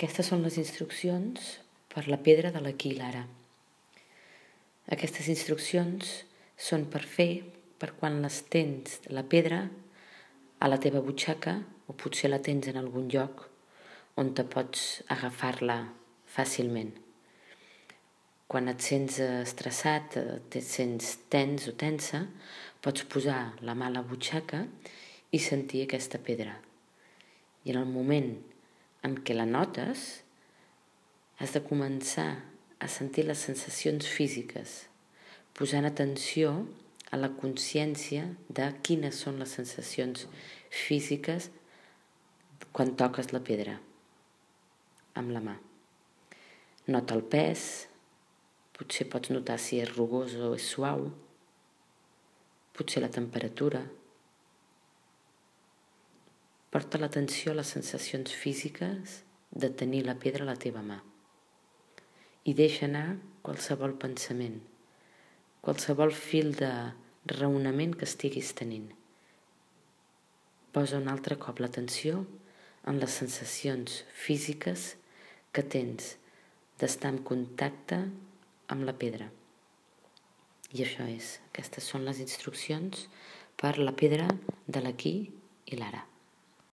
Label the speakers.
Speaker 1: Aquestes són les instruccions per la pedra de l'aquí i l'ara. Aquestes instruccions són per fer per quan les tens, la pedra, a la teva butxaca, o potser la tens en algun lloc on te pots agafar-la fàcilment. Quan et sents estressat, et sents tens o tensa, pots posar la mà a la butxaca i sentir aquesta pedra. I en el moment en què la notes, has de començar a sentir les sensacions físiques, posant atenció a la consciència de quines són les sensacions físiques quan toques la pedra amb la mà. Nota el pes, potser pots notar si és rugós o és suau, potser la temperatura. Porta l'atenció a les sensacions físiques de tenir la pedra a la teva mà i deixa anar qualsevol pensament, qualsevol fil de raonament que estiguis tenint. Posa un altre cop l'atenció en les sensacions físiques que tens d'estar en contacte amb la pedra. I això és, aquestes són les instruccions per la pedra de l'aquí i l'ara.